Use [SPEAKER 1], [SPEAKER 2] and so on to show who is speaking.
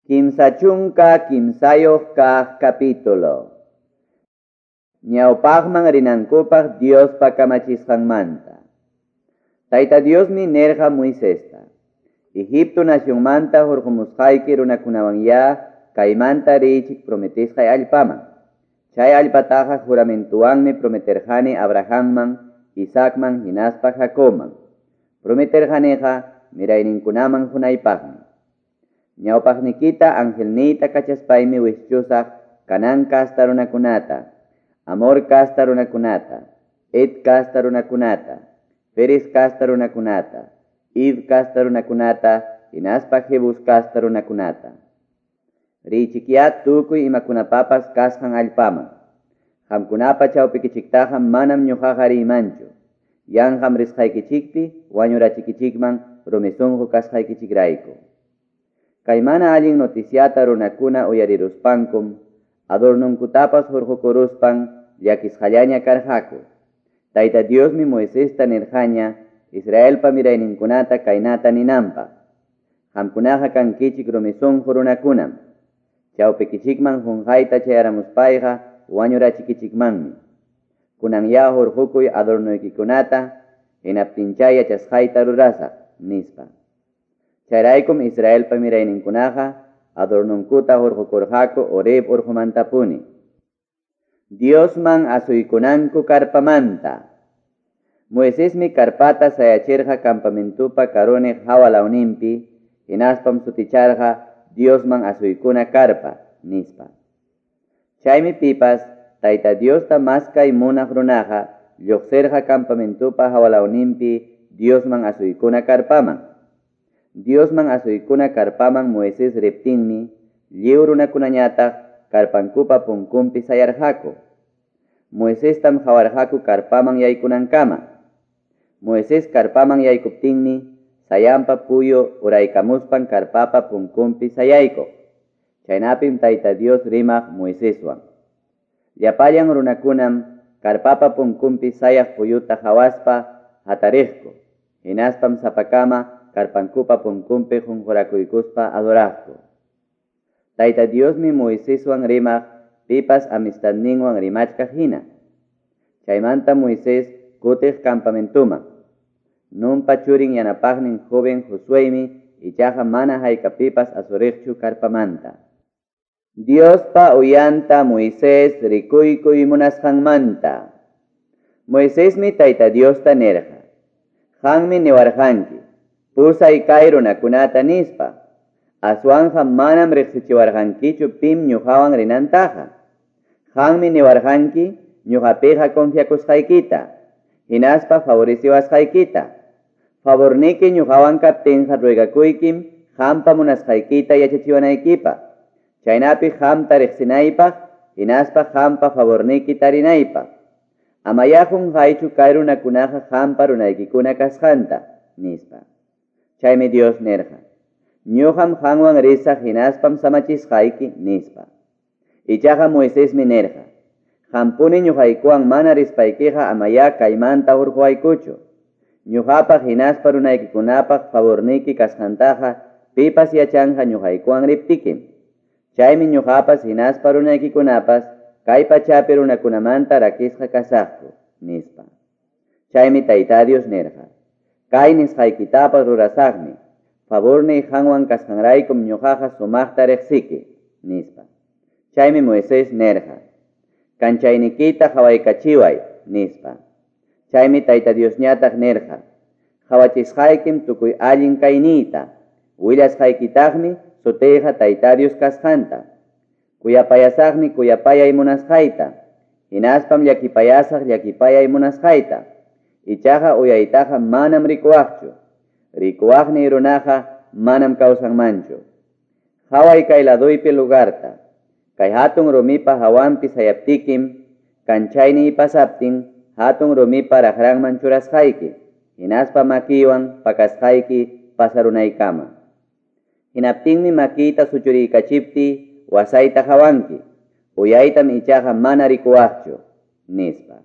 [SPEAKER 1] 33 kaq capítulo. Ñawpaqman rinankupaq Diospa kamachisqanmanta. Tayta Diosmi nirqa Moisesta: Egipto nacionmanta hurqumusqayki runakunawanyá kaymanta riychik prometisqay allpaman. Chay allpataqa juramentuwanmi prometerqani Abrahamman, Isaacman hinaspa Jacobman. Prometerqaniqa mirayninkunaman hunaypaqmi. Ñawpaqnikita angelniyta kachaspaymi wischusaq Canaán kasta runakunata, Amor kasta runakunata, Het kasta runakunata, Ferez kasta runakunata, Hiv kasta runakunata, hinaspa Jebus kasta runakunata. Riychikyá tukuy imakunapapas kasqan allpaman. Qamkunapa chawpikichiktaqa manam ñuqaqa riymanchu. Yanqam risqaykichikpi wañurachikichikman rumi sunqu kasqaykichikrayku. Kay mana allin noticiata runakuna uyariruspankum, adornonkutapas hurqukuruspan llakisqallaña karqaku. Tayta Diosmi Moisesta nirqaña Israelpa mirayninkunata kaynata ninanpaq: Qamkunaqa kankichik rumi sunqu runakunam. Chawpikichikman qunqayta chayaramuspayqa wañurachikichikmanmi. Kunanyá hurqukuy adornuykikunata, hinaptinchá yachasqayta rurasaq, nispa. Chayraykum Israelpa mirayninkunaqa adornunkuta hurqukurqaku Horeb urqumantapuni. Diosman asuykunanku karpamanta. Moisesmi karpata sayachirqa campamentupa karuniq hawa lawninpi, hinaspam suticharqa Diosman asuykuna karpa, nispa. Chaymi pipas Tayta Diosta maskay munaq runaqa lluqsirqa campamentupa hawa lawninpi Diosman asuykuna karpaman. Diosman asuykuna karpaman Moisés riptinmi lliw runakunañataq karpankupa punkunpi sayarqaku. Moisestam qawarqaku karpaman yaykunankama. Moisés karpaman yaykuptinmi sayanpa puyu uraykamuspan karpapa punkunpi sayaykuq. Chaynapim Tayta Dios rimaq Moiseswan. Llapallan runakunam karpapa punkunpi sayaq puyuta qawaspa hatariqku. Hinaspam sapakama karpankupa punkunpi qunqurakuykuspa adoraqku. Tayta Diosmi Moiseswan rimaq pipas amistadninwan rimachkaq hina. Chaymanta Moisés kutiq campamentuman. Nunpa churin yanapaqnin joven Josuemi ichaqa mana haykapipas asuriqchu karpamanta. Diospa uyanta Moisés rikuykuy munasqanmanta. Moisesmi Tayta Diosta nirqa: Qanmi niwarqanki, pusay kay runakunata nispa. Aswanqa manam riqsichiwarqankichu pim ñuqawan rinantaqa. Qanmi niwarqanki ñuqapiqa confiakusqaykita, hinaspa favoreciwasqaykita. Favorniki ñuqawan kaptinqa ruegakuykim qampa munasqaykita yachachiwanaykipaq. Chaynapi qamta riqsinaypaq, hinaspa qampa favorniki tarinaypaq. Amayá qunqaychu kay runakunaqa qampa runaykikuna kasqanta, nispa. Chaymi Dios nirqa: Ñuqam qanwan risaq hinaspam samachisqayki, nispa. Ichaqa Moisesmi nirqa: Qampuni ñuqaykuwan mana rispaykiqa amayá kaymanta hurquwaykuchu. Ñuqapaq hinaspa runaykikunapaq favorniki kasqantaqa pipas yachanqa ñuqaykuwan riptikim. Chaymi ñuqapas hinaspa runaykikunapas kay pachapi runakunamanta rakisqa kasaqku, nispa. Chaymi Tayta Dios nirqa: Kay nisqaykitapas rurasaqmi. Favorniy qanwan kasqanraykum ñuqaqa sumaqta riqsiki, nispa. Chaymi Moisés nirqa: Kanchaynikita qawaykachiway, nispa. Chaymi Tayta Diosñataq nirqa: Qawachisqaykim tukuy allin kayniyta, willasqaykitaqmi sutiyqa Tayta Dios kasqanta. Kuyapayasaqmi kuyapayay munasqayta, hinaspam llakipayasaq llakipayay munasqayta. Ichaqa uyaytaqa manam rikuwaqchu. Rikuwaqniy runaqa manam kawsanmanchu. Qaway kay laduypi lugarta. Kay hatun rumipa hawanpi sayaptikim, kanchayniy pasaptin hatun rumipa raqranman churasqayki, hinaspa makiywan pakasqayki pasarunaykama. Hinaptinmi makiyta suchuriykachiptiy wasayta qawanki, uyaytam ichaqa mana rikuwaqchu, nispa.